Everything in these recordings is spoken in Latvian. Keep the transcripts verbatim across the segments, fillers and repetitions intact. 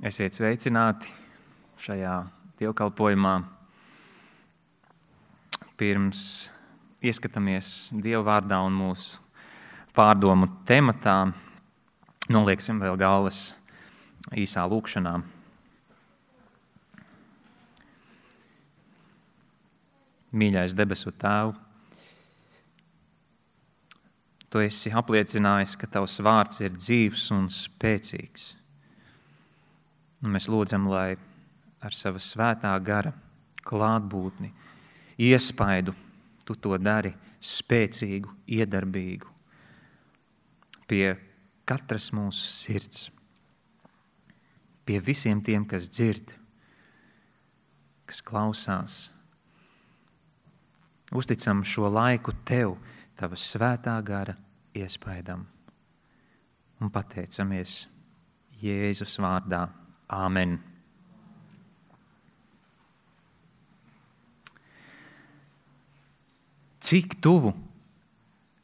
Esiet sveicināti šajā dievkalpojumā. Pirms ieskatāmies Dieva vārdā un mūsu pārdomu tematā, nolieksim vēl galvas īsā lūkšanā. Mīļais debesu Tēvu, Tu esi apliecinājis, ka Tavs vārds ir dzīvs un spēcīgs. Un mēs lūdzam, lai ar sava svētā gara klātbūtni, iespaidu Tu to dari spēcīgu, iedarbīgu pie katras mūsu sirds, pie visiem tiem, kas dzird, kas klausās. Uzticam šo laiku Tev, Tava svētā gara iespaidam un pateicamies Jēzus vārdā. Āmen. Cik tuvu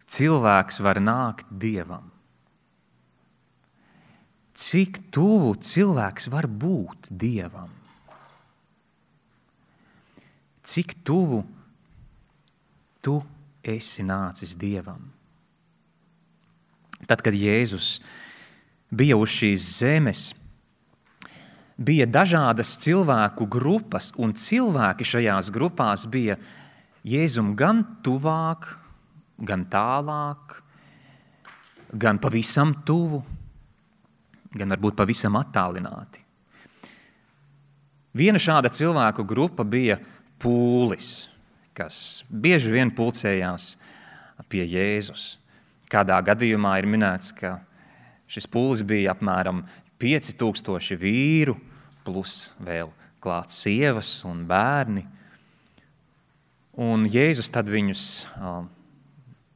cilvēks var nākt Dievam? Cik tuvu cilvēks var būt Dievam? Cik tuvu tu esi nācis Dievam? Tad, kad Jēzus bija uz šīs zemes, bija dažādas cilvēku grupas, un cilvēki šajās grupās bija Jēzum gan tuvāk, gan tālāk, gan pavisam tuvu, gan varbūt pavisam attālināti. Viena šāda cilvēku grupa bija pūlis, kas bieži vien pulcējās pie Jēzus. Kādā gadījumā ir minēts, ka šis pūlis bija apmēram pieci tūkstoši vīru, plus vēl klāt sievas un bērni. Un Jēzus tad viņus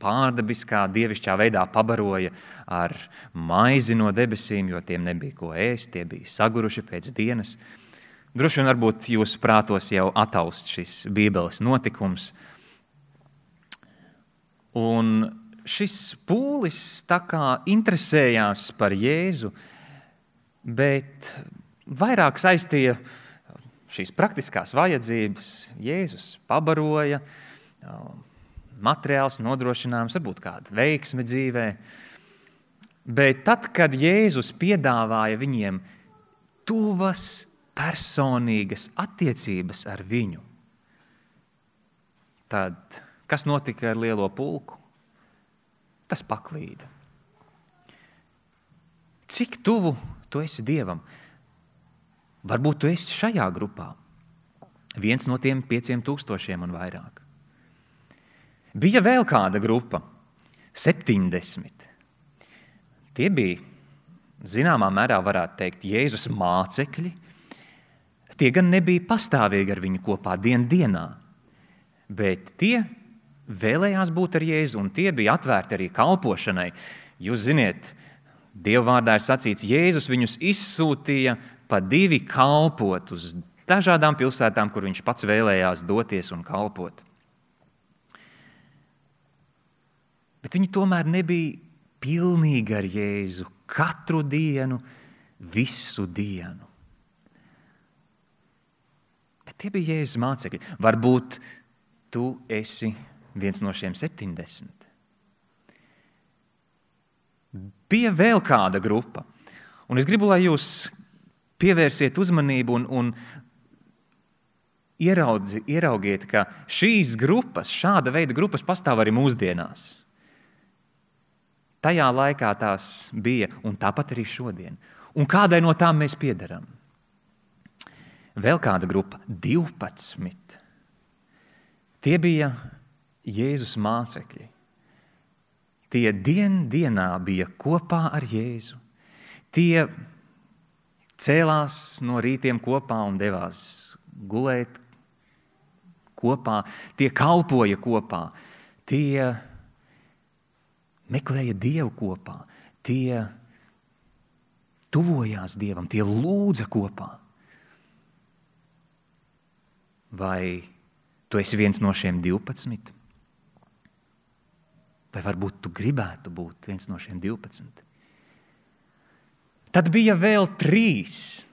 pārdabiskā, dievišķā veidā pabaroja ar maizi no debesīm, jo tiem nebija ko ēst, tie bija saguruši pēc dienas. Droši vien varbūt jūsu prātos jau ataust šis Bībeles notikums. Un šis pūlis tā kā interesējās par Jēzu, bet vairāk saistīja šīs praktiskās vajadzības. Jēzus pabaroja, materiāls nodrošinājums, varbūt kāda veiksme dzīvē. Bet tad, kad Jēzus piedāvāja viņiem tuvas, personīgas attiecības ar viņu, tad kas notika ar lielo pulku? Tas paklīda. Cik tuvu tu esi Dievam? Varbūt tu esi šajā grupā. Viens no tiem pieciem tūkstošiem un vairāk. Bija vēl kāda grupa, septiņdesmit. Tie bija, zināmā mērā varētu teikt, Jēzus mācekļi. Tie gan nebija pastāvīgi ar viņu kopā dien dienā, bet tie vēlējās būt ar Jēzu, un tie bija atvērti arī kalpošanai. Jūs ziniet, Dieva vārdā ir sacīts, Jēzus viņus izsūtīja pa divi kalpot uz dažādām pilsētām, kur viņš pats vēlējās doties un kalpot. Bet viņi tomēr nebija pilnīgi ar Jēzu katru dienu, visu dienu. Bet tie bija Jēzus mācekļi. Varbūt tu esi viens no šiem septiņdesmit. Bija vēl kāda grupa. Un es gribu, lai jūs pievērsiet uzmanību un, un ieraudzi, ieraugiet, ka šīs grupas, šāda veida grupas pastāv arī mūsdienās. Tajā laikā tās bija, un tāpat arī šodien. Un kādai no tām mēs piederam? Vēl kāda grupa, divpadsmit. Tie bija Jēzus mācekļi. Tie dien dienā bija kopā ar Jēzu. Tie cēlās no rītiem kopā un devās gulēt kopā. Tie kalpoja kopā. Tie meklēja Dievu kopā. Tie tuvojās Dievam. Tie lūdza kopā. Vai tu esi viens no šiem divpadsmit? Vai varbūt tu gribētu būt viens no šiem divpadsmit? Tad bija vēl trīs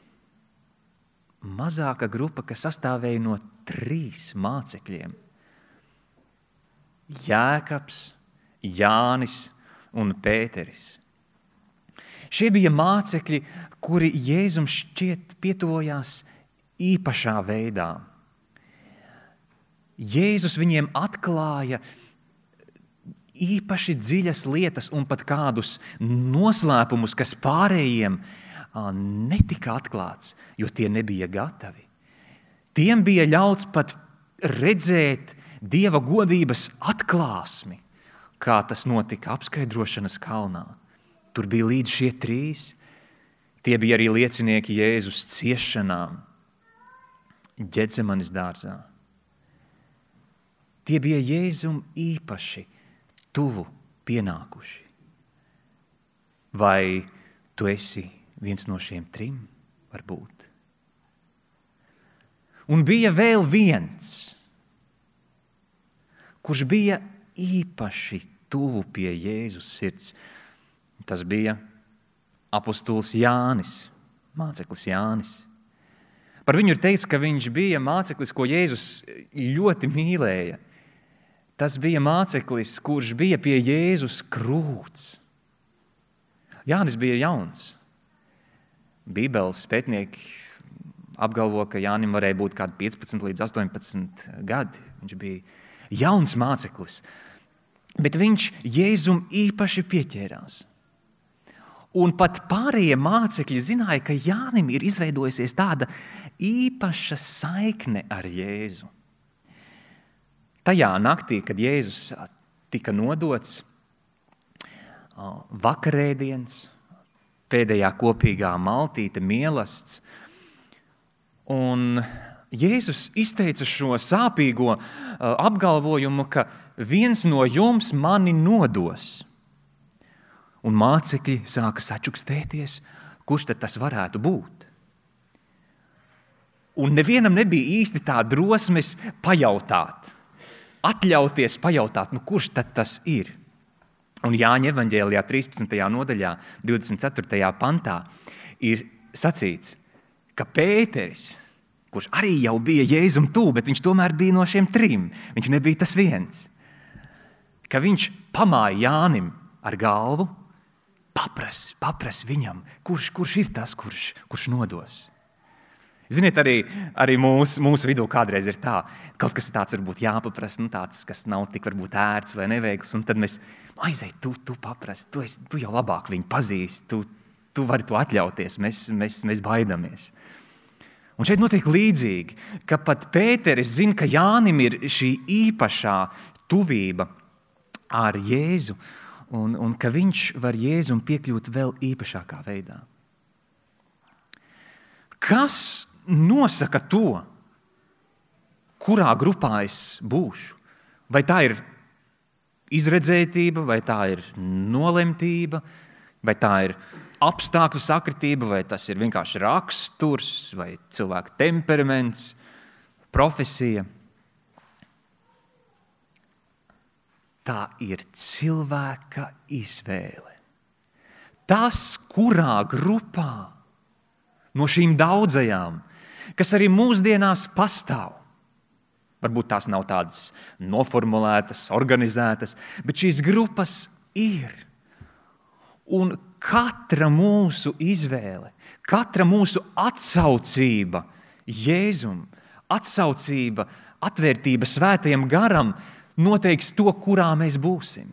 mazāka grupa, kas sastāvēja no trīs mācekļiem. Jēkabs, Jānis un Pēteris. Šie bija mācekļi, kuri Jēzum šķiet pietuvojās īpašā veidā. Jēzus viņiem atklāja īpaši dziļas lietas un pat kādus noslēpumus, kas pārējiem netika atklāts, jo tie nebija gatavi. Tiem bija ļauts pat redzēt Dieva godības atklāsmi, kā tas notika apskaidrošanas kalnā. Tur bija līdz šie trīs. Tie bija arī liecinieki Jēzus ciešanām Ģetsemanes dārzā. Tie bija Jēzum īpaši tuvu pienākuši. Vai tu esi viens no šiem trim? Varbūt. Un bija vēl viens, kurš bija īpaši tuvu pie Jēzus sirds. Tas bija apostols Jānis, māceklis Jānis. Par viņu ir teikts, ka viņš bija māceklis, ko Jēzus ļoti mīlēja. Tas bija māceklis, kurš bija pie Jēzus krūts. Jānis bija jauns. Bībeles pētnieki apgalvo, ka Jānim varēja būt kādi piecpadsmit līdz astoņpadsmit gadi. Viņš bija jauns māceklis, bet viņš Jēzum īpaši pieķērās. Un pat pārējie mācekļi zināja, ka Jānim ir izveidojusies tāda īpaša saikne ar Jēzu. Tajā naktī, kad Jēzus tika nodots, vakarēdiens, pēdējā kopīgā maltīte, mielasts, un Jēzus izteica šo sāpīgo apgalvojumu, ka viens no jums mani nodos. Un mācekļi sāka sačukstēties, kurš tad tas varētu būt. Un nevienam nebija īsti tā drosmes pajautāt, atļauties pajautāt, nu kurš tad tas ir. Un Jāņa evaņģēlijā trīspadsmitajā nodaļā, divdesmit ceturtajā pantā ir sacīts, ka Pēteris, kurš arī jau bija Jēzum tuvu, bet viņš tomēr bija no šiem trim, viņš nebija tas viens, ka viņš pamāja Jānim ar galvu, papras, papras viņam, kurš, kurš ir tas, kurš, kurš nodos. Ziniet, arī, arī mūsu, mūsu vidū kādreiz ir tā, kaut kas tāds varbūt jāpapras, nu tāds, kas nav tik varbūt ērts vai neveikls, un tad mēs, aizej, tu, tu papras, tu, esi, tu jau labāk viņu pazīsti, tu, tu vari to atļauties, mēs, mēs, mēs baidamies. Un šeit notiek līdzīgi, ka pat Pēteris zina, ka Jānim ir šī īpašā tuvība ar Jēzu, un, un ka viņš var Jēzum piekļūt vēl īpašākā veidā. Kas nosaka to, kurā grupā es būšu? Vai tā ir izredzētība, vai tā ir nolemtība, vai tā ir apstākļu sakritība, vai tas ir vienkārši raksturs, vai cilvēka temperaments, profesija? Tā ir cilvēka izvēle. Tas, kurā grupā no šīm daudzajām, kas arī mūsdienās pastāv. Varbūt tās nav tādas noformulētas, organizētas, bet šīs grupas ir. Un katra mūsu izvēle, katra mūsu atsaucība Jēzum, atsaucība, atvērtība svētajam garam noteiks to, kurā mēs būsim.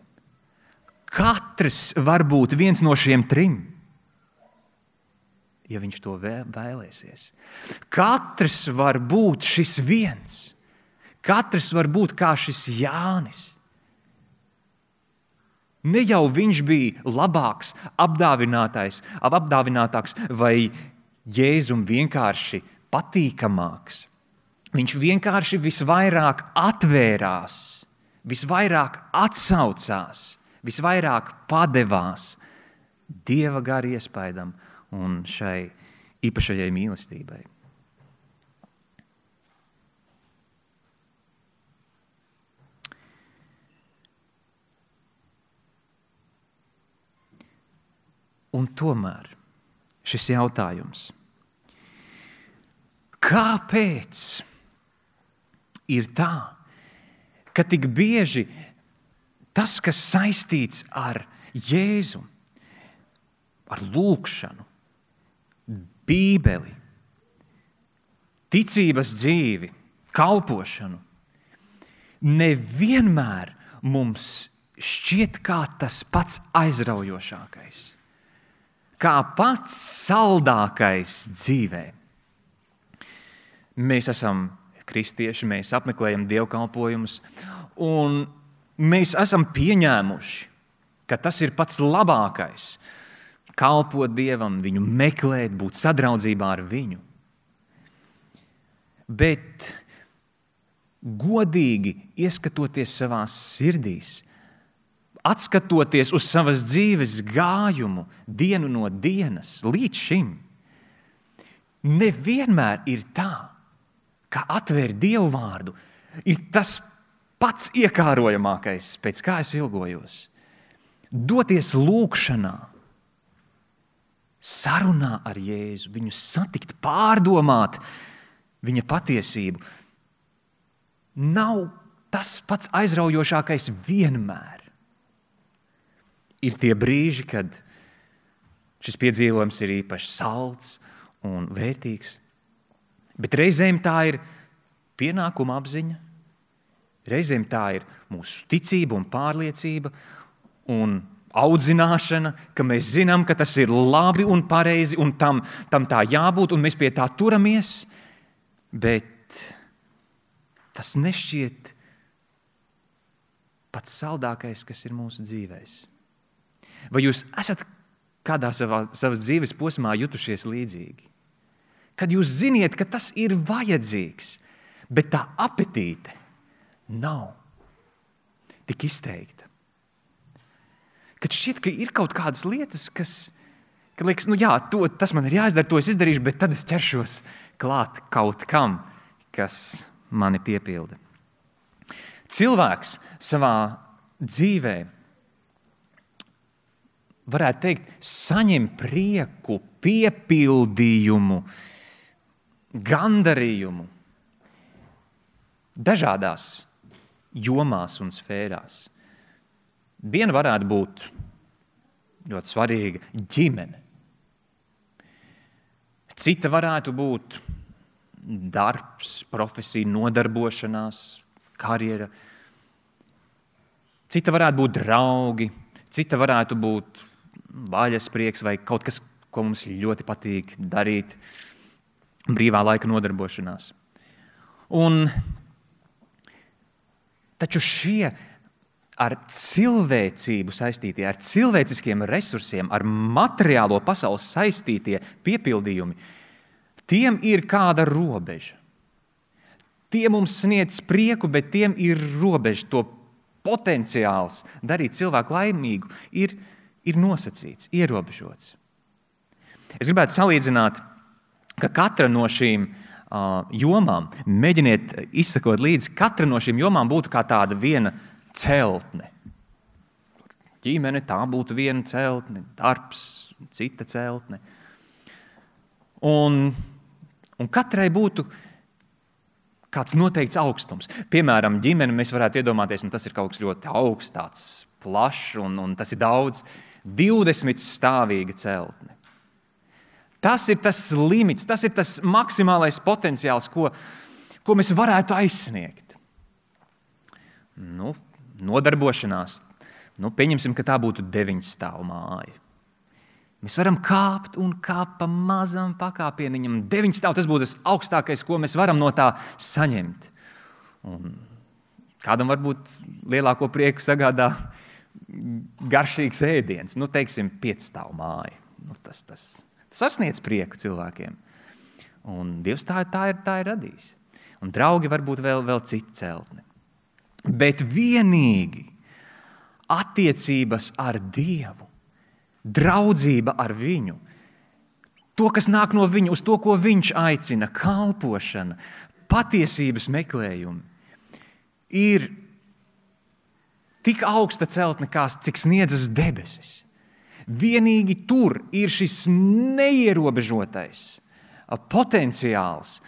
Katrs var būt viens no šiem trim, ja viņš to vēlēsies. Katrs var būt šis viens. Katrs var būt kā šis Jānis. Ne jau viņš bija labāks, apdāvinātais, apdāvinātāks vai Jēzum vienkārši patīkamāks. Viņš vienkārši visvairāk atvērās, visvairāk atsaucās, visvairāk padevās Dieva gara iespaidam un šai īpašajai mīlestībai. Un tomēr šis jautājums, kāpēc ir tā, ka tik bieži tas, kas saistīts ar Jēzu, ar lūgšanu, Bībeli, ticības dzīvi, kalpošanu, nevienmēr mums šķiet kā tas pats aizraujošākais, kā pats saldākais dzīvē. Mēs esam kristieši, mēs apmeklējam dievkalpojumus, un mēs esam pieņēmuši, ka tas ir pats labākais – kalpot Dievam, viņu meklēt, būt sadraudzībā ar viņu. Bet godīgi ieskatoties savās sirdīs, atskatoties uz savas dzīves gājumu dienu no dienas līdz šim, nevienmēr ir tā, ka atvērt Dievu vārdu ir tas pats iekārojamākais, pēc kā es ilgojos. Doties lūgšanā, sarunā ar Jēzu, viņu satikt, pārdomāt viņa patiesību, nav tas pats aizraujošākais vienmēr. Ir tie brīži, kad šis piedzīvojums ir īpaši salds un vērtīgs, bet reizēm tā ir pienākuma apziņa, reizēm tā ir mūsu ticība un pārliecība un audzināšana, ka mēs zinām, ka tas ir labi un pareizi un tam, tam tā jābūt un mēs pie tā turamies, bet tas nešķiet pats saldākais, kas ir mūsu dzīvēs. Vai jūs esat kādā savā, savas dzīves posmā jutušies līdzīgi? Kad jūs ziniet, ka tas ir vajadzīgs, bet tā apetīte nav tik izteikta. Kad šķiet, ka ir kaut kādas lietas, kas, ka liekas, nu jā, to, tas man ir jāizdara, to es izdarīšu, bet tad es ķeršos klāt kaut kam, kas mani piepilda. Cilvēks savā dzīvē, varētu teikt, saņem prieku, piepildījumu, gandarījumu dažādās jomās un sfērās. Viena varētu būt ļoti svarīga ģimene. Cita varētu būt darbs, profesija, nodarbošanās, karjera. Cita varētu būt draugi, cita varētu būt vaļasprieks vai kaut kas, ko mums ļoti patīk darīt, brīvā laika nodarbošanās. Un taču šie ar cilvēcību saistītie, ar cilvēciskiem resursiem, ar materiālo pasaules saistītie piepildījumi, tiem ir kāda robeža. Tie mums sniedz prieku, bet tiem ir robeža. To potenciāls darīt cilvēku laimīgu ir, ir nosacīts, ierobežots. Es gribētu salīdzināt, ka katra no šīm uh, jomām, mēģiniet izsakot līdzi, katra no šīm jomām būtu kā tāda viena celtne. Ģimene, tā būtu viena celtne, darbs, cita celtne. Un, un katrai būtu kāds noteikts augstums. Piemēram, ģimene mēs varētu iedomāties, un tas ir kaut kas ļoti augsts, tāds plašs, un, un tas ir daudz, divdesmit stāvīga celtne. Tas ir tas limits, tas ir tas maksimālais potenciāls, ko, ko mēs varētu aizsniegt. Nu, nodarbošanās, nu, pieņemsim, ka tā būtu deviņstāvu māja. Mēs varam kāpt un kāpt pa mazam pakāpieniņam. Deviņstāvu, tas būtu tas augstākais, ko mēs varam no tā saņemt. Un kādam varbūt lielāko prieku sagādā garšīgs ēdiens, nu, teiksim, piecstāvu māja. Nu, tas, tas, tas sasniedz prieku cilvēkiem. Un Dievs tā, tā, ir, tā ir radījis. Un draugi varbūt vēl, vēl cita celtne. Bet vienīgi attiecības ar Dievu, draudzība ar viņu, to, kas nāk no viņa, uz to, ko viņš aicina, kalpošana, patiesības meklējumi, ir tik augsta celtne, kā cik sniedzas debesis. Vienīgi tur ir šis neierobežotais potenciāls,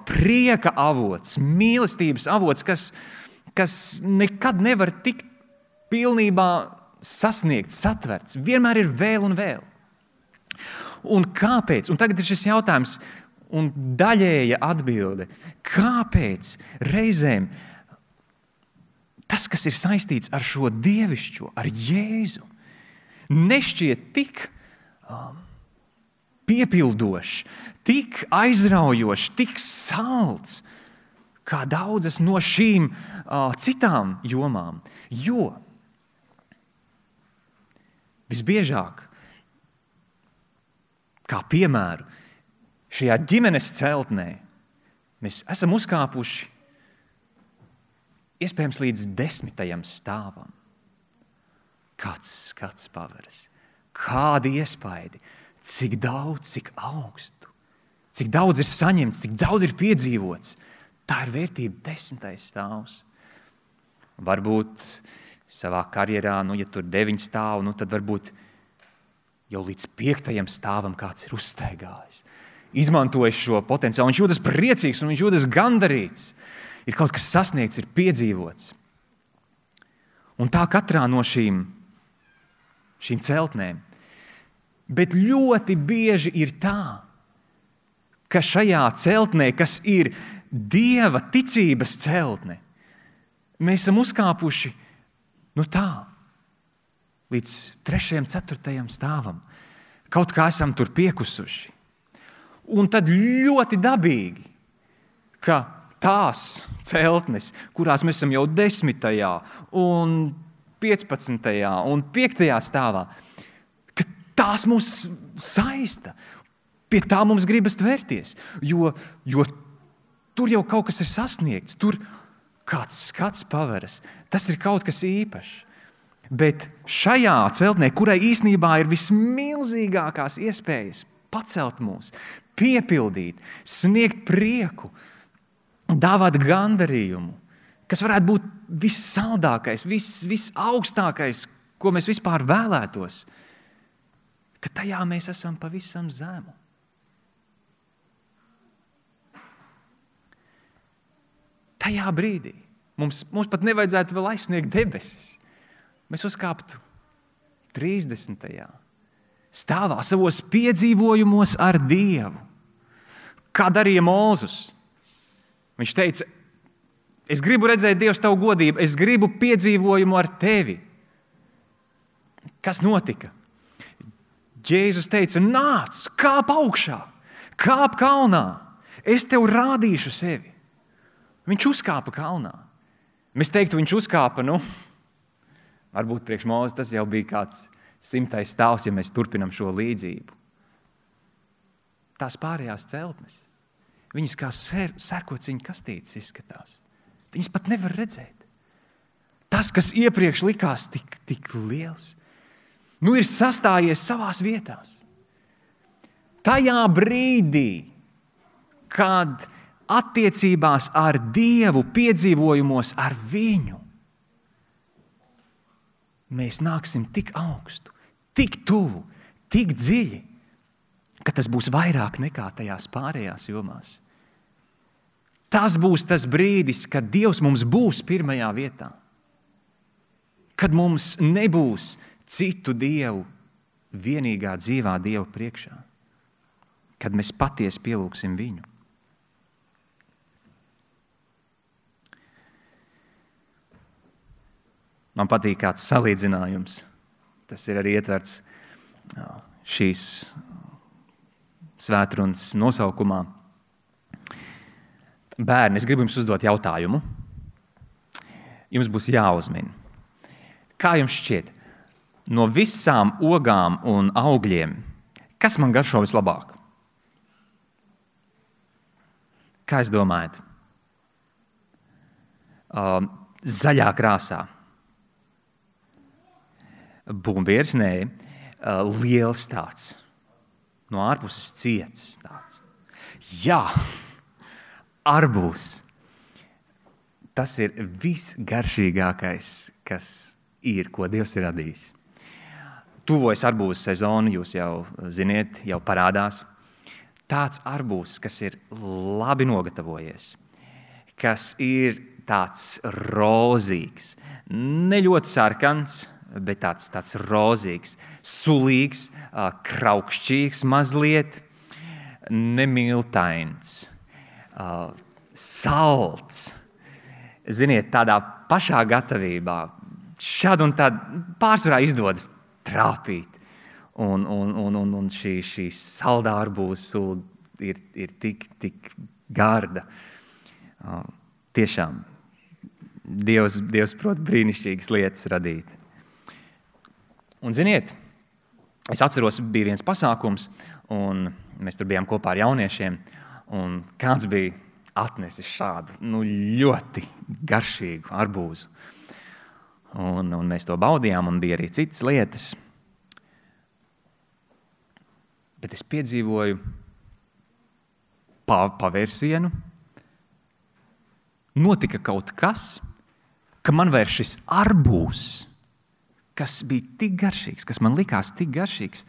prieka avots, mīlestības avots, kas, kas nekad nevar tikt pilnībā sasniegts, satverts. Vienmēr ir vēl un vēl. Un kāpēc? Un tagad ir šis jautājums un daļēja atbilde. Kāpēc reizēm tas, kas ir saistīts ar šo dievišķo, ar Jēzu, nešķiet tik um, piepildošs, tik aizraujošs, tik salds, kā daudzas no šīm uh, citām jomām. Jo visbiežāk, kā piemēru, šajā ģimenes celtnē mēs esam uzkāpuši iespējams līdz desmitajam stāvam. Kāds skats paveras, kādi iespaidi, cik daudz, cik augstu, cik daudz ir saņemts, cik daudz ir piedzīvots. Tā ir vērtība desmitais stāvs. Varbūt savā karjerā, nu, ja tur deviņi stāv, nu, tad varbūt jau līdz piektajam stāvam kāds ir uzsteigājis. Izmantojis šo potenciālu, viņš jūtas priecīgs un viņš jūtas gandarīts. Ir kaut kas sasniegts, ir piedzīvots. Un tā katrā no šīm, šīm celtnēm. Bet ļoti bieži ir tā, ka šajā celtnē, kas ir Dieva ticības celtne, mēs esam uzkāpuši nu tā, līdz trešajam, ceturtajam stāvam. Kaut kā esam tur piekusuši. Un tad ļoti dabīgi, ka tās celtnes, kurās mēs esam jau desmitajā un piecpadsmitajā un piektajā stāvā, ka tās mūs saista. Pie tā mums gribas tvērties, jo, jo tur jau kaut kas ir sasniegts, tur kāds skats paveras. Tas ir kaut kas īpašs. Bet šajā celtnē, kurai īstenībā ir vismilzīgākās iespējas pacelt mūs, piepildīt, sniegt prieku, dāvāt gandarījumu, kas varētu būt vissaldākais, vis, visaugstākais, ko mēs vispār vēlētos, ka tajā mēs esam pavisam zemu. Tajā brīdī mums, mums pat nevajadzētu vēl aizsniegt debesis. Mēs uzkāptu trīsdesmitajā stāvā savos piedzīvojumos ar Dievu. Kā darīja Mūzus. Viņš teica, es gribu redzēt Dievs tavu godību, es gribu piedzīvojumu ar tevi. Kas notika? Jēzus teica, nāc, kāp augšā, kāp kalnā, es tev rādīšu sevi. Viņš uzkāpa kalnā. Mēs teiktu, viņš uzkāpa, nu, varbūt priekš Mūzes tas jau bija kāds simtais stāvs, ja mēs turpinam šo līdzību. Tās pārējās celtnes, viņas kā ser, sērkociņa kastītes izskatās. Viņas pat nevar redzēt. Tas, kas iepriekš likās tik, tik liels, nu ir sastājies savās vietās. Tajā brīdī, kad attiecībās ar Dievu, piedzīvojumos ar viņu, mēs nāksim tik augstu, tik tuvu, tik dziļi, ka tas būs vairāk nekā tajās pārējās jomās. Tas būs tas brīdis, kad Dievs mums būs pirmajā vietā. Kad mums nebūs citu dievu vienīgā dzīvā Dieva priekšā. Kad mēs patiesi pielūgsim viņu. Man patīk kāds salīdzinājums. Tas ir arī ietverts šīs svētrunas nosaukumā. Bērni, es gribu jums uzdot jautājumu. Jums būs jāuzmin. Kā jums šķiet, no visām ogām un augļiem, kas man garšo vislabāk? Kā jūs domājat? Uh, zaļā krāsā. Bumbieris, nē, liels tāds, no ārpuses ciets tāds. Jā, arbūs. Tas ir visgaršīgākais, kas ir, ko Dievs ir radījis. Tuvojas arbūzu sezonu, jūs jau ziniet, jau parādās. tāds arbūzs, kas ir labi nogatavojies, kas ir tāds rozīgs, ne ļoti sarkans, bet tāds, tāds rozīgs, sulīgs, kraukšķīgs mazliet, nemiltains, salds. Ziniet, tādā pašā gatavībā, šādi un tādi pārsvarā izdodas trāpīt. Un, un, un, un, un šī, šī saldā arbūza sula ir, ir tik, tik garda. Uh, tiešām, Dievs, Dievs prot brīnišķīgas lietas radīt. Un ziniet, es atceros, bija viens pasākums, un mēs tur bijām kopā ar jauniešiem, un kāds bija atnesis šādu nu, ļoti garšīgu arbūzu. Un, un mēs to baudījām, un bija arī citas lietas. Bet es piedzīvoju pavērsienu, notika kaut kas, ka man vairs šis arbūzs, kas bija tik garšīgs, kas man likās tik garšīgs,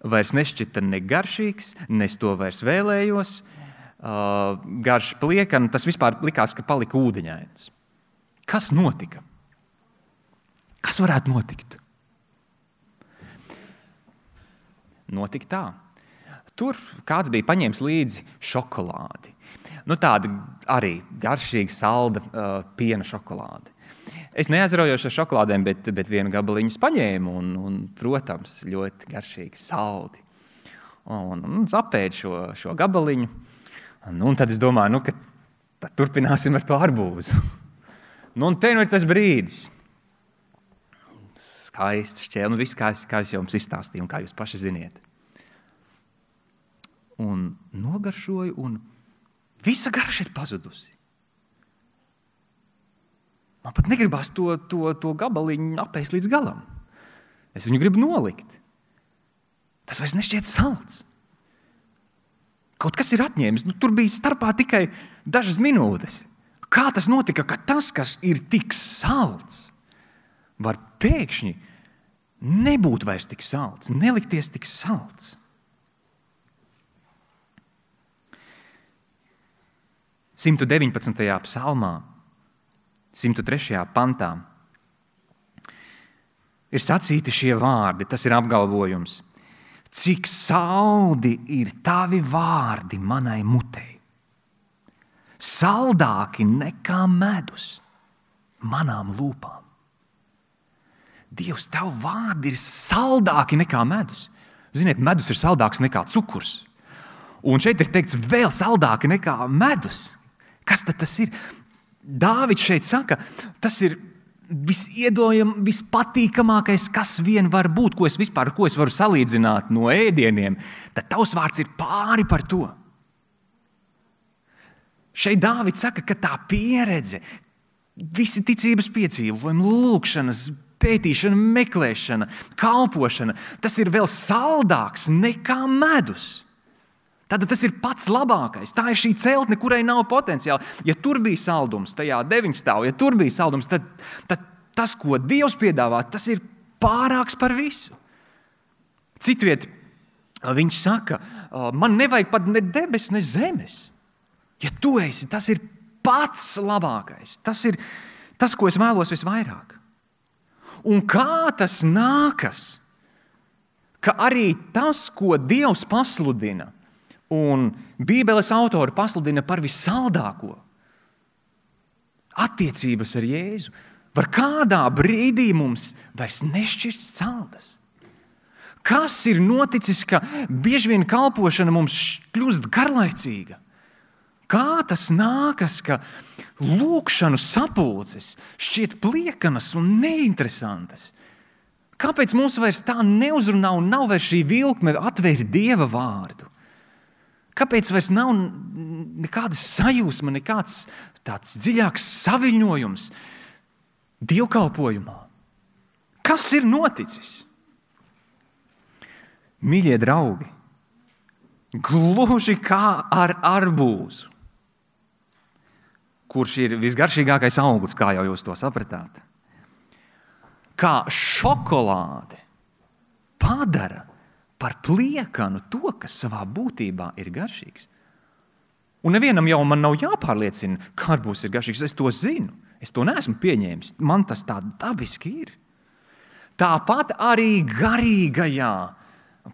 vairs nešķita ne garšīgs, ne es to vairs vēlējos, uh, garš pliekana, tas vispār likās, ka palika ūdeņains. Kas notika? Kas varētu notikt? Notika tā. Tur kāds bija paņēmis līdzi šokolādi. Nu, tāda arī garšīga, salda uh, piena šokolāde. Es neaizraujos ar šokolādēm, bet, bet vienu gabaliņu paņēmu un, un, protams, ļoti garšīgi saldi. Un, un zapēdu šo, šo gabaliņu. Un, un tad es domāju, nu, ka tad turpināsim ar to arbūzu. Nu, un te nu ir tas brīdis. Skaisti šķēli, nu viss, kā es, kā es jums izstāstīju un kā jūs paši ziniet. Un nogaršoju, un visa garša ir pazudusi. Man pat negribās to, to, to gabaliņu apēst līdz galam. Es viņu gribu nolikt. Tas vairs nešķiet salds. Kaut kas ir atņēmis, nu, tur bija starpā tikai dažas minūtes. Kā tas notika, ka tas, kas ir tik salds, var pēkšņi nebūt vairs tik salds, nelikties tik salds. simt deviņpadsmitajā psalmā, simt trešajā pantā ir sacīti šie vārdi, tas ir apgalvojums. Cik saldi ir tavi vārdi manai mutei, saldāki nekā medus manām lūpām. Dievs, tavu vārdi ir saldāki nekā medus. Ziniet, medus ir saldāks nekā cukurs. Un šeit ir teikts vēl saldāki nekā medus. Kas tad tas ir? Dāvids šeit saka, tas ir visiedojam, vispatīkamākais, kas vien var būt, ko es vispār, ko es varu salīdzināt no ēdieniem, tad tavs vārds ir pāri par to. Šeit Dāvids saka, ka tā pieredze, visi ticības piedzīvojumi, lūkšanas, pētīšana, meklēšana, kalpošana, tas ir vēl saldāks nekā medus. Tad tas ir pats labākais. Tā ir šī celtne, kurai nav potenciāla. Ja tur bija saldums, tajā deviņstāv, ja tur bija saldums, tad, tad tas, ko Dievs piedāvā, tas ir pārāks par visu. Citviet, viņš saka, man nevajag pat ne debes, ne zemes. Ja tu esi, tas ir pats labākais. Tas ir tas, ko es vēlos visvairāk. Un kā tas nākas, ka arī tas, ko Dievs pasludina, un Bībeles autori pasludina par vissaldāko attiecības ar Jēzu, var kādā brīdī mums vairs nešķist saldas. Kas ir noticis, ka bieži vien kalpošana mums kļūst garlaicīga? Kā tas nākas, ka lūkšanu sapulces šķiet pliekanas un neinteresantas? Kāpēc mums vairs tā neuzrunā un nav vairs šī vilkme atvērt Dieva vārdu? Kāpēc vairs nav nekāda sajūsma, nekāds tāds dziļāks saviņojums dievkalpojumā? Kas ir noticis? Mīļie draugi, gluži kā ar arbūzu, kurš ir visgaršīgākais auglis, kā jau jūs to sapratāt, kā šokolāde padara par pliekanu to, kas savā būtībā ir garšīgs. Un nevienam jau man nav jāpārliecina, ka arbūzs ir garšīgs. Es to zinu. Es to neesmu pieņēmis. Man tas tā dabiski ir. Tāpat arī garīgajā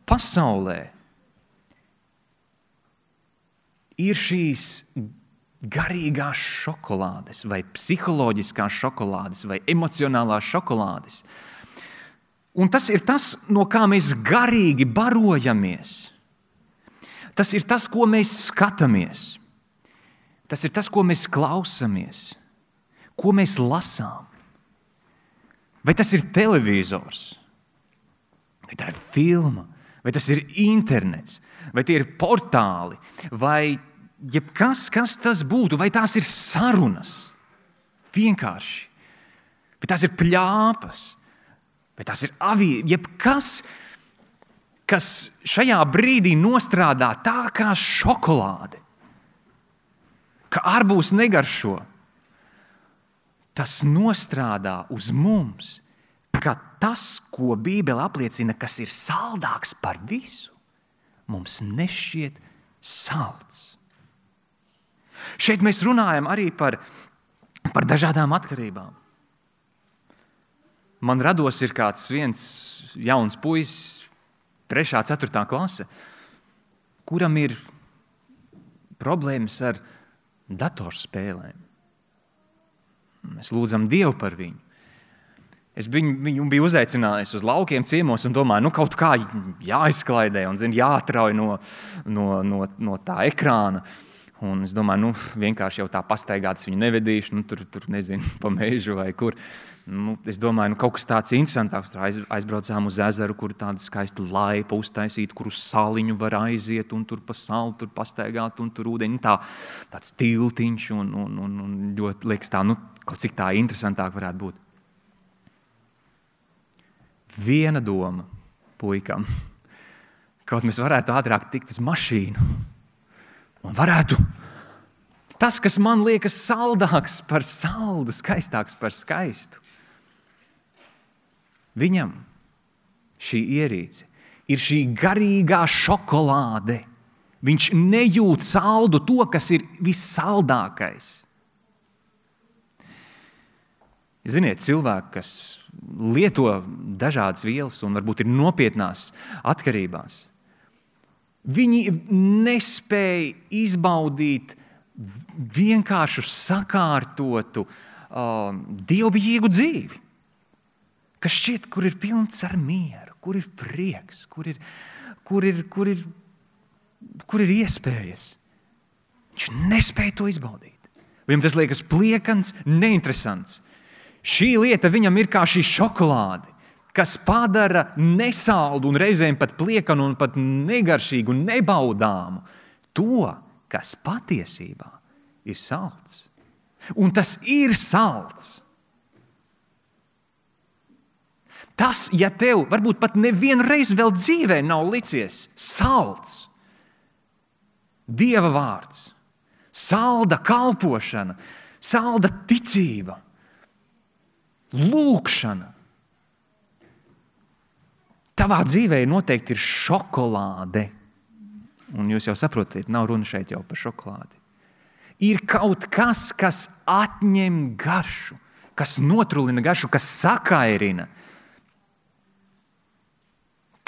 pasaulē ir šīs garīgās šokolādes vai psiholoģiskās šokolādes vai emocionālās šokolādes. Un tas ir tas, no kā mēs garīgi barojamies. Tas ir tas, ko mēs skatāmies. Tas ir tas, ko mēs klausamies. Ko mēs lasām. Vai tas ir televizors? Vai tā ir filma? Vai tas ir internets? Vai tie ir portāli? Vai jebkas, kas tas būtu? Vai tās ir sarunas? Vienkārši. Vai tās ir pļāpas? Vai tās ir avī? Jebkas, kas šajā brīdī nostrādā tā kā šokolāde, ka arbūs negaršo, tas nostrādā uz mums, ka tas, ko Bībele apliecina, kas ir saldāks par visu, mums nešķiet salds. Šeit mēs runājam arī par, par dažādām atkarībām. Man rados ir kāds viens jauns puisis, trešā, ceturtā klase, kuram ir problēmas ar datorspēlēm. Mēs lūdzam Dievu par viņu. Es viņu, viņu biju uzaicinājis uz laukiem ciemos un domāju, nu kaut kā jāizklaidē un zin, jāatrauj no, no, no, no tā ekrāna. Un es domāju, nu vienkārši jau tā pastaigātas viņu nevedīšu, nu tur, tur nezinu, pa mežu vai kur. Nu, es domāju, nu kaut kas tāds interesantāks. Tur aiz, aizbraucām uz ezeru, kur tāda skaista laipa uztaisīta, kur uz saliņu var aiziet un tur pa salu tur pastaigāt un tur ūdeņi. Tā, tāds tiltiņš un, un, un, un ļoti liekas tā, nu kaut cik tā interesantāk varētu būt. Viena doma puikam, kaut mēs varētu ātrāk tikt uz mašīnu. Un varētu tas, kas man liekas saldāks par saldu, skaistāks par skaistu. Viņam šī ierīce ir šī garīgā šokolāde. Viņš nejūt saldu to, kas ir vissaldākais. Ziniet, cilvēki, kas lieto dažādas vielas un varbūt ir nopietnās atkarībās, viņi nespēja izbaudīt vienkāršu sakārtotu, uh, dievbijīgu dzīvi, kas šķiet, kur ir pilns ar mieru, kur ir prieks, kur ir, kur ir, kur ir, kur ir iespējas. Viņš nespēja to izbaudīt. Viņam tas liekas pliekans, neinteresants. Šī lieta viņam ir kā šī šokolāde, kas padara nesaldu un reizēm pat pliekanu un pat negaršīgu un nebaudāmu to, kas patiesībā ir salds. Un tas ir salds. Tas, ja tev varbūt pat nevienreiz vēl dzīvē nav licies salds, Dieva vārds, salda kalpošana, salda ticība, lūkšana, tavā dzīvē noteikti ir šokolāde. Un jūs jau saprotat, nav runa šeit jau par šokolādi. Ir kaut kas, kas atņem garšu, kas notrulina garšu, kas sakairina,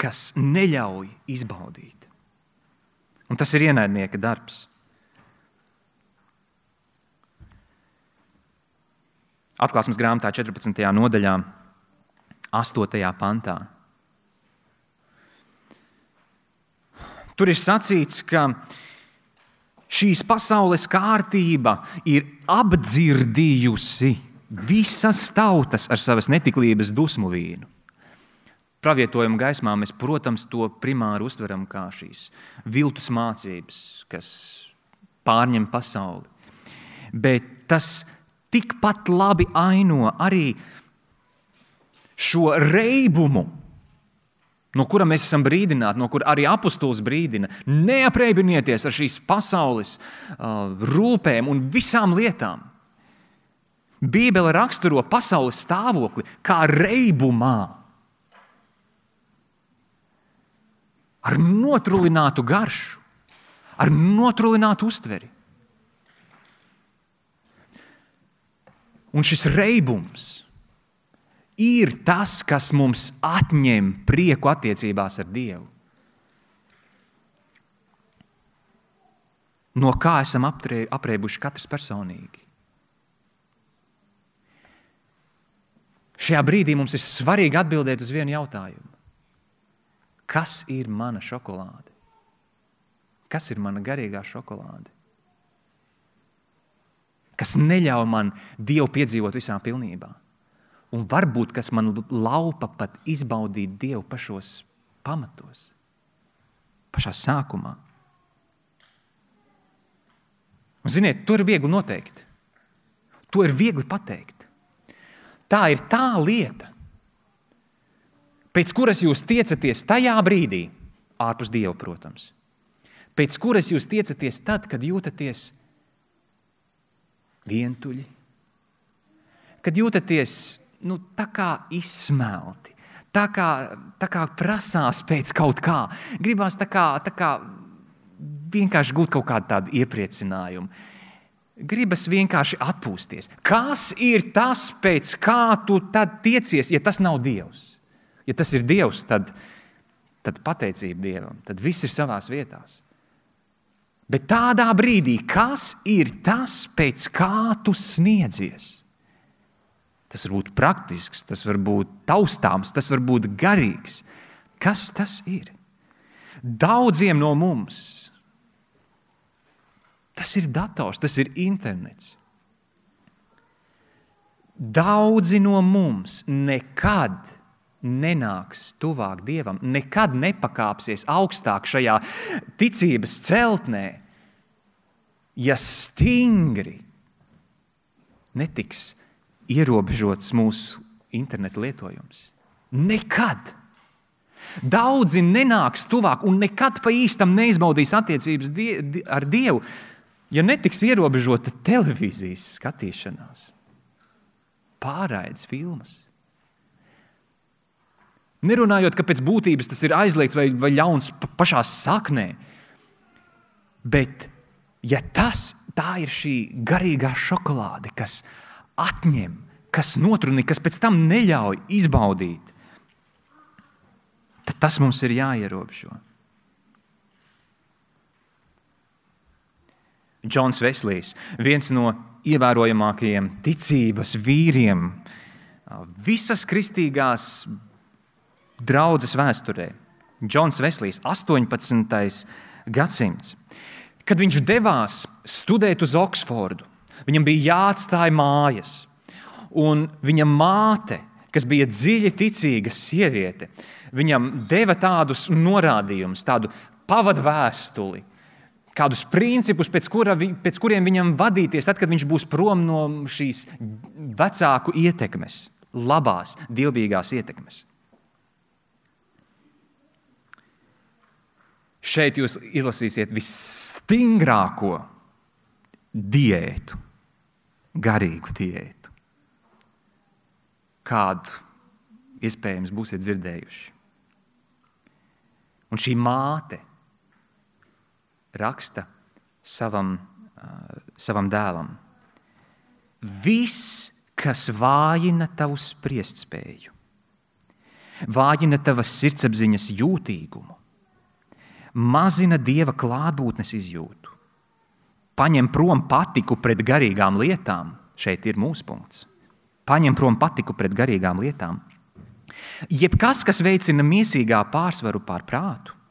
kas neļauj izbaudīt. Un tas ir ienaidnieka darbs. Atklāsmes grāmatā četrpadsmitajā nodaļā, astotajā pantā. Tur ir sacīts, ka šīs pasaules kārtība ir apdzirdījusi visas tautas ar savas netiklības dusmu vīnu. Pravietojuma gaismā mēs, protams, to primāri uztveram kā šīs viltus mācības, kas pārņem pasauli. Bet tas tikpat labi aino arī šo reibumu, no kura mēs esam brīdināti, no kura arī apostols brīdina. Neaprēbinieties ar šīs pasaules uh, rūpēm un visām lietām. Bībele raksturo pasaules stāvokli kā reibumā. ar notrulinātu garšu, ar notrulinātu uztveri. Un šis reibums ir tas, kas mums atņem prieku attiecībās ar Dievu. No kā esam apreibuši katrs personīgi. Šajā brīdī mums ir svarīgi atbildēt uz vienu jautājumu. Kas ir mana šokolāde? Kas ir mana garīgā šokolāde? Kas neļauj man Dievu piedzīvot visā pilnībā? Un varbūt, kas man laupa pat izbaudīt Dievu pašos pamatos, pašā sākumā. Un ziniet, to ir viegli noteikt. To ir viegli pateikt. Tā ir tā lieta, pēc kuras jūs tiecaties tajā brīdī, ārpus Dieva, protams, pēc kuras jūs tiecaties tad, kad jūtaties vientuļi, kad jūtaties nu, tā kā izsmelti, tā kā, tā kā prasās pēc kaut kā, gribās tā kā, tā kā vienkārši gūt kaut kādu tādu iepriecinājumu. Gribas vienkārši atpūsties. Kas ir tas, pēc kā tu tad tiecies, ja tas nav Dievs? Ja tas ir Dievs, tad, tad pateicība Dievam, tad viss ir savās vietās. Bet tādā brīdī, kas ir tas, pēc kā tu sniedzies? Tas var būt praktisks, tas var būt taustāms, tas var būt garīgs. Kas tas ir? Daudziem no mums tas ir dators, tas ir internets. Daudzi no mums nekad nenāks tuvāk Dievam, nekad nepakāpsies augstāk šajā ticības celtnē, ja stingri netiks ierobežots mūsu interneta lietojums. Nekad. Daudzi nenāks tuvāk un nekad pa īstam neizbaudīs attiecības die, ar Dievu, ja netiks ierobežota televīzijas skatīšanās, pārraides filmas. Nerunājot, ka pēc būtības tas ir aizliegts vai, vai ļauns pašā saknē, bet ja tas, tā ir šī garīgā šokolāde, kas atņem, kas notrunī, kas pēc tam neļauj izbaudīt, tad tas mums ir jāierobežo. Džons Veslijs, viens no ievērojamākajiem ticības vīriem visas kristīgās draudzes vēsturē. Džons Veslijs, astoņpadsmitais gadsimts. Kad viņš devās studēt uz Oksfordu, viņam bija jāatstāj mājas. Un viņa māte, kas bija dziļi ticīga sieviete, viņam deva tādus norādījumus, tādu pavadvēstuli, kādus principus, pēc, kura, pēc kuriem viņam vadīties, tad, kad viņš būs prom no šīs vecāku ietekmes, labās, dievbijīgās ietekmes. Šeit jūs izlasīsiet visstingrāko diētu, garīgu diētu, kādu iespējams būsiet dzirdējuši. Un šī māte raksta savam, uh, savam dēlam. Viss, kas vājina tavu spriestspēju, vājina tavas sirdsapziņas jūtīgumu, mazina Dieva klātbūtnes izjūtu, paņem prom patiku pret garīgām lietām, šeit ir mūsu punkts, paņem prom patiku pret garīgām lietām, jebkas, kas veicina miesīgā pārsvaru pār prātu,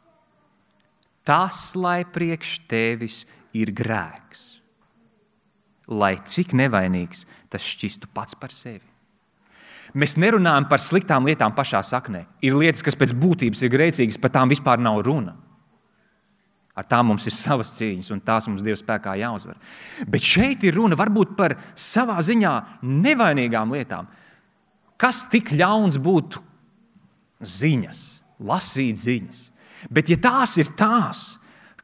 tas, lai priekš tevis ir grēks, lai cik nevainīgs tas šķistu pats par sevi. Mēs nerunājam par sliktām lietām pašā saknē. Ir lietas, kas pēc būtības ir grēcīgas, par tām vispār nav runa. Ar tām mums ir savas cīņas, un tās mums Dieva spēkā jāuzvar. Bet šeit ir runa varbūt par savā ziņā nevainīgām lietām. Kas tik ļauns būtu ziņas, lasīt ziņas? Bet ja tās ir tās,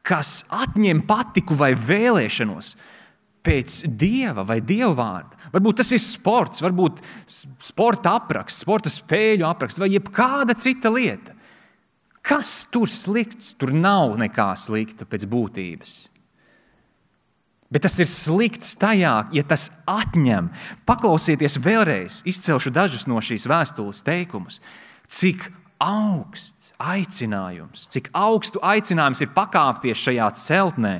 kas atņem patiku vai vēlēšanos pēc Dieva vai Dieva vārda, varbūt tas ir sports, varbūt sporta apraksts, sporta spēļu apraksts vai jebkāda cita lieta, Kas tur slikts? Tur nav nekā slikta pēc būtības. Bet tas ir slikts tajā, ja tas atņem. Paklausieties vēlreiz, izcelšu dažus no šīs vēstules teikumus. Cik augsts aicinājums, cik augstu aicinājums ir pakāpties šajā celtnē.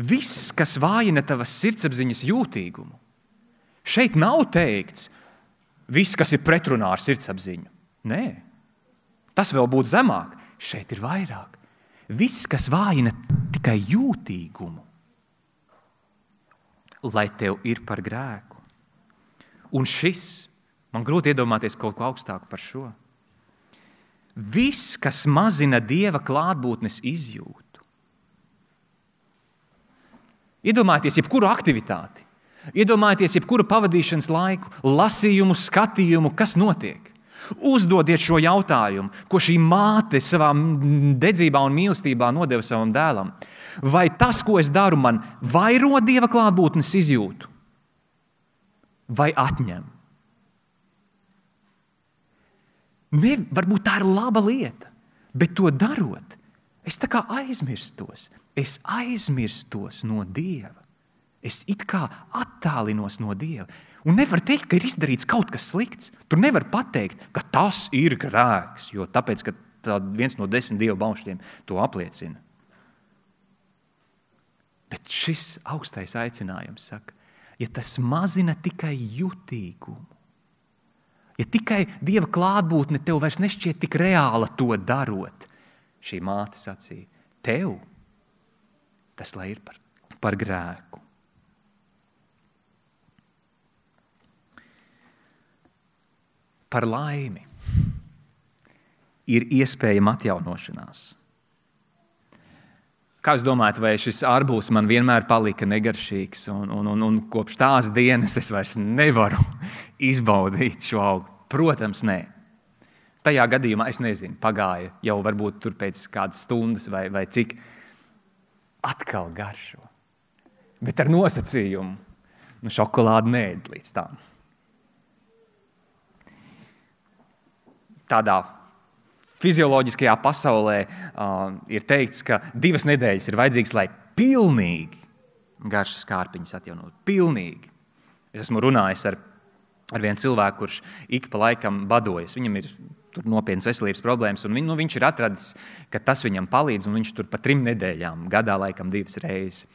Viss, kas vājina tavas sirdsapziņas jūtīgumu. Šeit nav teikts, viss, kas ir pretrunā ar sirdsapziņu. Nē, tas vēl būtu zemāk. Šeit ir vairāk. Viss, kas vājina tikai jūtīgumu, lai tev ir par grēku. Un šis, man grūti iedomāties kaut ko augstāku par šo. Viss, kas mazina Dieva klātbūtnes izjūtu. Iedomājieties jebkuru aktivitāti, iedomājieties jebkuru pavadīšanas laiku, lasījumu, skatījumu, kas notiek. Uzdodiet šo jautājumu, ko šī māte savā dedzībā un mīlestībā nodeva savam dēlam. Vai tas, ko es daru, man vairo Dieva klātbūtnes izjūtu? Vai atņem? Ne, varbūt tā ir laba lieta, bet to darot, es tā kā aizmirstos. Es aizmirstos no Dieva. Es it kā attālinos no Dieva. Un nevar teikt, ka ir izdarīts kaut kas slikts. Tur nevar pateikt, ka tas ir grēks, jo tāpēc, ka viens no desmit Dieva baušļiem to apliecina. Bet šis augstais aicinājums saka, ja tas mazina tikai jutīgumu, ja tikai Dieva klātbūtne tev vairs nešķiet tik reāla to darot, šī māte sacīja, tev tas lai ir par, par grēku. Par laimi ir iespējama atjaunošanās. Kā jūs domājat, vai šis arbūs man vienmēr palika negaršīgs, un, un, un, un kopš tās dienas es vairs nevaru izbaudīt šo augu? Protams, nē. Tajā gadījumā es nezinu, pagāja jau varbūt tur pēc kādas stundas vai, vai cik atkal garšo. Bet ar nosacījumu, nu šokolādi neēd līdz tām. Tādā fizioloģiskajā pasaulē uh, ir teikts, ka divas nedēļas ir vajadzīgas, lai pilnīgi garšas kārpiņas atjaunot. Pilnīgi. Es esmu runājis ar, ar vienu cilvēku, kurš ik pa laikam badojas. Viņam ir tur nopietnas veselības problēmas, un viņ, nu, viņš ir atradis, ka tas viņam palīdz, un viņš tur pa trim nedēļām, gadā laikam divas reizes.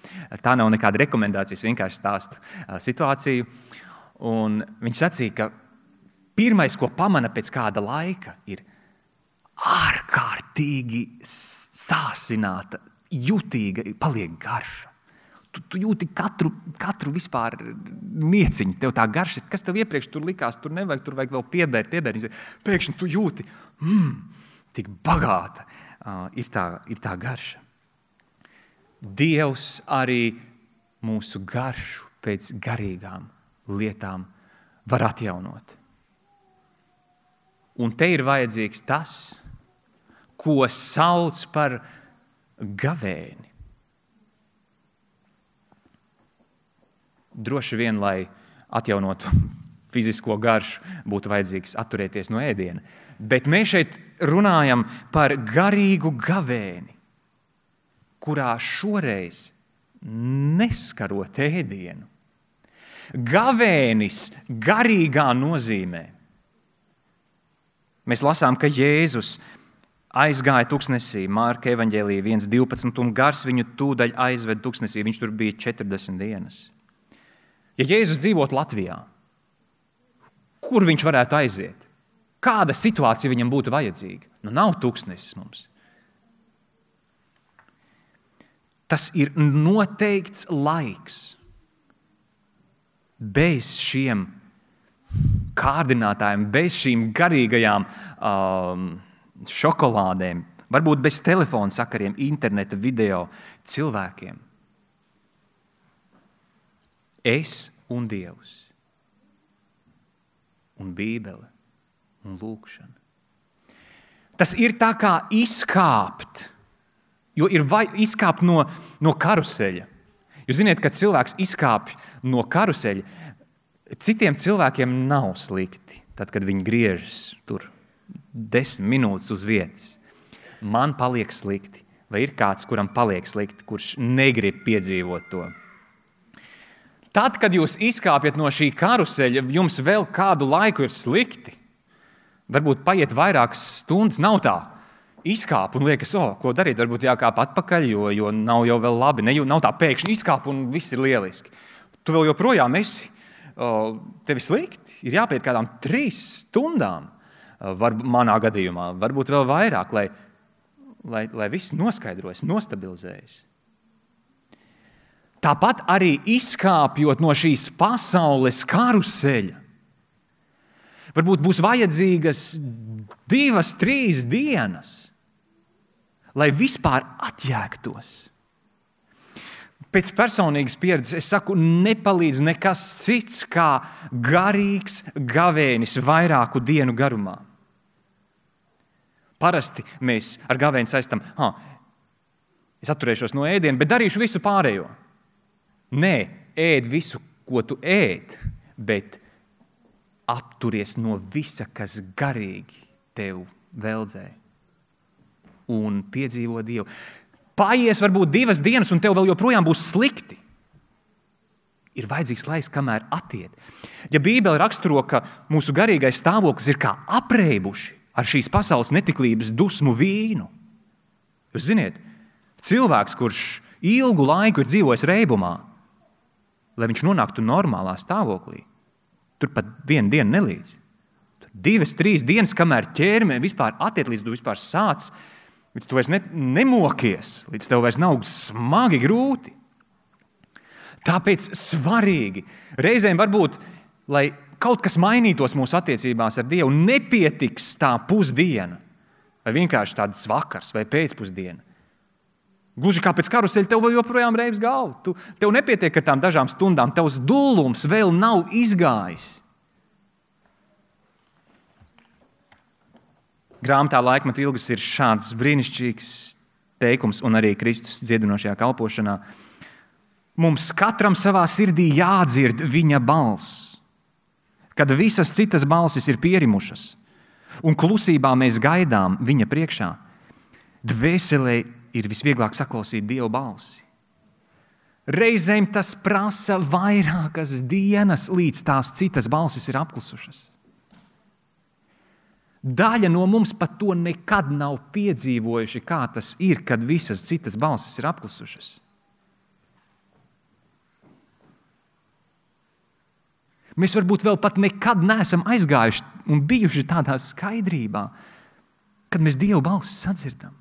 Tā nav nekāda rekomendācijas, vienkārši stāsta uh, situāciju. Un viņš sacīja, ka pirmais, ko pamana pēc kāda laika, ir ārkārtīgi sāsināta, jutīga, paliek garša. Tu, tu jūti katru, katru vispār nieciņu, tev tā garša, kas tev iepriekš tur likās, tur nevajag, tur vajag vēl piebērt, piebērt. Pēkšņi tu jūti, mm, cik bagāta uh, ir, tā, ir tā garša. Dievs arī mūsu garšu pēc garīgām lietām var atjaunot. Un te ir vajadzīgs tas, ko sauc par gavēni. Droši vien, lai atjaunotu fizisko garšu, būtu vajadzīgs atturēties no ēdiena. Bet mēs šeit runājam par garīgu gavēni, kurā šoreiz neskarot ēdienu. Gavēnis garīgā nozīmē. Mēs lasām, ka Jēzus aizgāja tuksnesī, Mārka evaņģēlija viens divpadsmit, un gars viņu tūdaļ aizved tuksnesī. Viņš tur bija četrdesmit dienas. Ja Jēzus dzīvot Latvijā, kur viņš varētu aiziet? Kāda situācija viņam būtu vajadzīga? Nu, nav tuksnesis mums. Tas ir noteikts laiks. Bez šiem kārdinātājiem, bez šīm garīgajām um, šokolādēm, varbūt bez telefona sakariem, interneta, video, cilvēkiem. Es un Dievs, un Bībele, un lūkšana. Tas ir tā kā izkāpt, jo ir vai, izkāpt no, no karuseļa. Jūs ziniet, kad cilvēks izkāpj no karuseļa, citiem cilvēkiem nav slikti, tad, kad viņi griežas tur desmit minūtes uz vietas. Man paliek slikti. Vai ir kāds, kuram paliek slikti, kurš negrib piedzīvot to? Tad, kad jūs izkāpjat no šī karuseļa, jums vēl kādu laiku ir slikti. Varbūt paiet vairākas stundas, nav tā. Izkāp un liekas, o, ko darīt, varbūt jākāp atpakaļ, jo, jo nav jau vēl labi. Ne, nav tā pēkšņi izkāp un viss ir lieliski. Tu vēl joprojām esi, o, tevi slikti. Ir jāpiet kādām trīs stundām, var, manā gadījumā, varbūt vēl vairāk, lai, lai, lai viss noskaidrojas, nostabilizējas. Tāpat arī izkāpjot no šīs pasaules karuseļa, varbūt būs vajadzīgas divas, trīs dienas, lai vispār atjēgtos. Pēc personīgas pieredzes es saku, nepalīdz nekas cits kā garīgs gavēnis vairāku dienu garumā. Parasti mēs ar gavēni saistam, ha, es atturēšos no ēdiena, bet darīšu visu pārējo. Nē, ēd visu, ko tu ēd, bet apturies no visa, kas garīgi tev veldzē un piedzīvo Dievu. Paies varbūt divas dienas, un tev vēl joprojām būs slikti. Ir vajadzīgs laiks, kamēr attiet. Ja Bībele raksturo, ka mūsu garīgais stāvoklis ir kā apreibuši ar šīs pasaules netiklības dusmu vīnu. Jūs ziniet, cilvēks, kurš ilgu laiku ir dzīvojis reibumā, lai viņš nonāktu normālā stāvoklī, tur pat vienu dienu nelīdz. Tur divas, trīs dienas, kamēr ķerme vispār attiet, līdz tu vispār sāc, līdz tu vairs ne, nemokies, līdz tev vairs nav smagi grūti. Tāpēc svarīgi, reizēm varbūt, lai kaut kas mainītos mūsu attiecībās ar Dievu, nepietiks tā pusdiena, vai vienkārši tāds vakars vai pēcpusdiena. Gluži kā pēc karuseļa tev vēl joprojām reibs galva. Tu, tev nepietiek ar tām dažām stundām, tavs dullums vēl nav izgājis. Grāmatā Laikmetu ilgas ir šāds brīnišķīgs teikums, un arī Kristus dziedinošajā kalpošanā. Mums katram savā sirdī jādzird viņa balss, kad visas citas balsis ir pierimušas, un klusībā mēs gaidām viņa priekšā. Dvēselē ir visvieglāk saklausīt Dieva balsi. Reizēm tas prasa vairākas dienas, līdz tās citas balsis ir apklusušas. Daļa no mums pat to nekad nav piedzīvojuši, kā tas ir, kad visas citas balsis ir apklusušas. Mēs varbūt vēl pat nekad neesam aizgājuši un bijuši tādā skaidrībā, kad mēs Dievu balsi sadzirdam,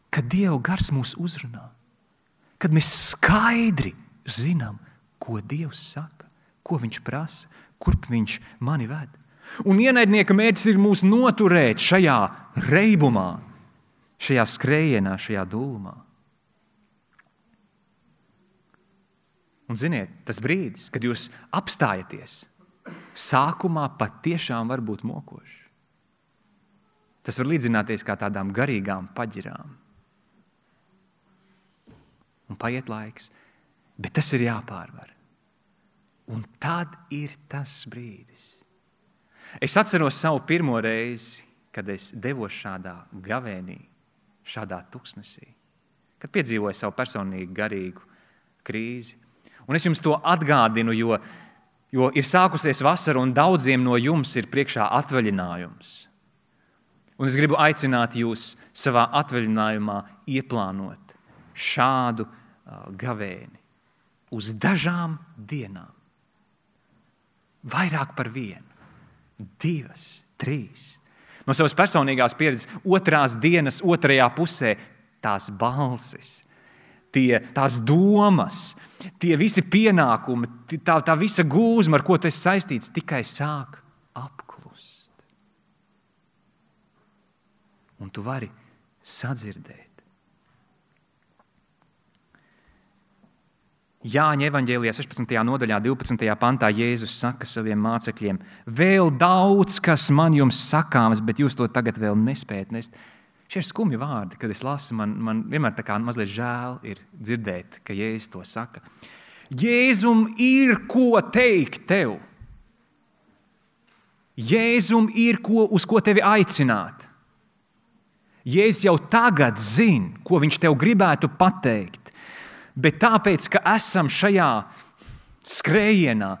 kad Dieva gars mūs uzrunā, kad mēs skaidri zinām, ko Dievs saka, ko viņš prasa, kurp viņš mani ved. Un ienaidnieka mērķis ir mūs noturēt šajā reibumā, šajā skrējienā, šajā dūlumā. Un ziniet, tas brīdis, kad jūs apstājaties, sākumā pat tiešām var būt mokošs. Tas var līdzināties kā tādām garīgām paģirām. Un paiet laiks, bet tas ir jāpārvar. Un tad ir tas brīdis. Es atceros savu pirmo reizi, kad es devos šādā gavēnī, šādā tuksnesī, kad piedzīvoju savu personīgu garīgu krīzi. Un es jums to atgādinu, jo, jo ir sākusies vasara un daudziem no jums ir priekšā atvaļinājums. Un es gribu aicināt jūs savā atvaļinājumā ieplānot šādu uh, gavēni uz dažām dienām. Vairāk par vienu. Divas, trīs. No savas personīgās pieredzes otrās dienas, otrajā pusē tās balsis, tie, tās domas, tie visi pienākumi, tā, tā visa gūzma, ar ko tu esi saistīts, tikai sāk apklust. Un tu vari sadzirdēt. Jāņa evaņģēlijā sešpadsmitajā nodaļā, divpadsmitajā pantā Jēzus saka saviem mācekļiem: vēl daudz, kas man jums sakāms, bet jūs to tagad vēl nespējat nest. Šie ir skumji vārdi, kad es lasu, man, man vienmēr tā kā mazliet žēl ir dzirdēt, ka Jēzus to saka. Jēzum ir ko teikt tev. Jēzum ir, ko, uz ko tevi aicināt. Jēzus jau tagad zina, ko viņš tev gribētu pateikt. Bet tāpēc, ka esam šajā skrējienā,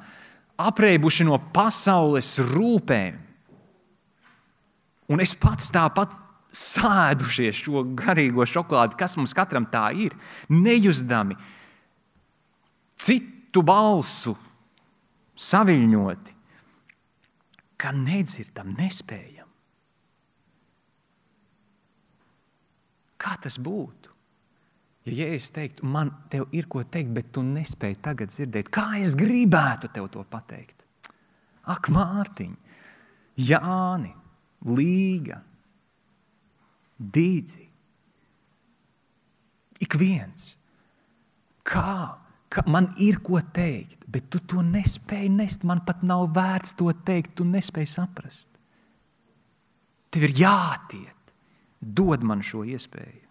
apreibuši no pasaules rūpēm, un es pats tāpat sēdušies šo garīgo šokolādi, kas mums katram tā ir, nejustami, citu balsu saviļņoti, ka nedzirdam, nespējam. Kā tas būtu? Ja Jēzus teiktu, man tev ir ko teikt, bet tu nespēji tagad dzirdēt, kā es gribētu tev to pateikt? Ak, Mārtiņ, Jāni, Līga, Dīdzi, ik viens. Kā? Ka man ir ko teikt, bet tu to nespēji nest, man pat nav vērts to teikt, tu nespēji saprast. Tev ir jātiet, dod man šo iespēju.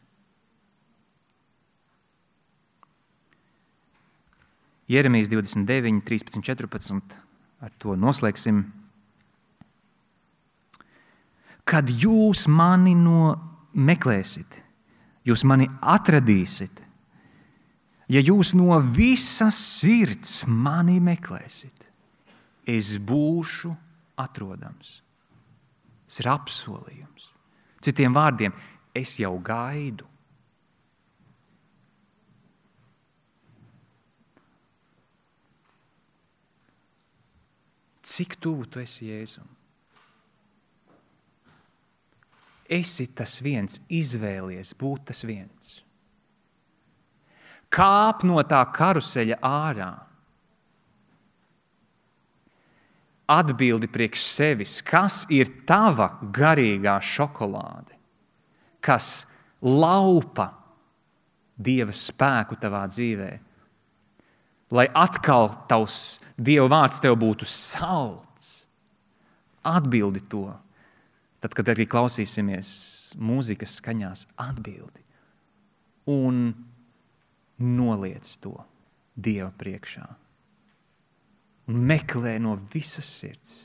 Jeremijas divdesmit deviņi, trīspadsmit, četrpadsmit, ar to noslēgsim. Kad jūs mani no meklēsit, jūs mani atradīsit, ja jūs no visas sirds mani meklēsit, es būšu atrodams. Tas ir apsolījums. Citiem vārdiem, es jau gaidu. Cik tuvu tu esi Jēzum? Esi tas viens, izvēlies būt tas viens. Kāp no tā karuseļa ārā. Atbildi priekš sevis, kas ir tava garīgā šokolāde, kas laupa Dieva spēku tavā dzīvē, lai atkal tavs Dieva vārds tev būtu salds. Atbildi to. Tad, kad arī klausīsimies mūzikas skaņās, atbildi. Un noliec to Dieva priekšā. Un meklē no visas sirds.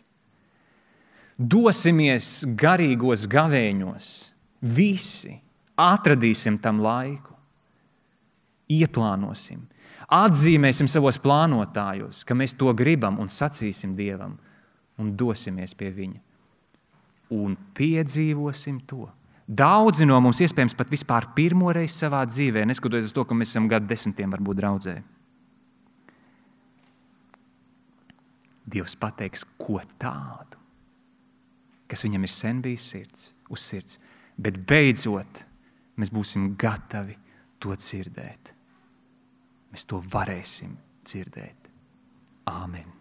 Dosimies garīgos gavēņos. Visi atradīsim tam laiku. Ieplānosim. Atzīmēsim savos plānotājos, ka mēs to gribam un sacīsim Dievam un dosimies pie viņa. Un piedzīvosim to. Daudzi no mums iespējams pat vispār pirmo reizi savā dzīvē, neskatoties uz to, ka mēs esam gadu desmitiem varbūt draudzē. Dievs pateiks, ko tādu, kas viņam ir sen bijis sirds, uz sirds, bet beidzot mēs būsim gatavi to dzirdēt. Mēs to varēsim dzirdēt. Āmen.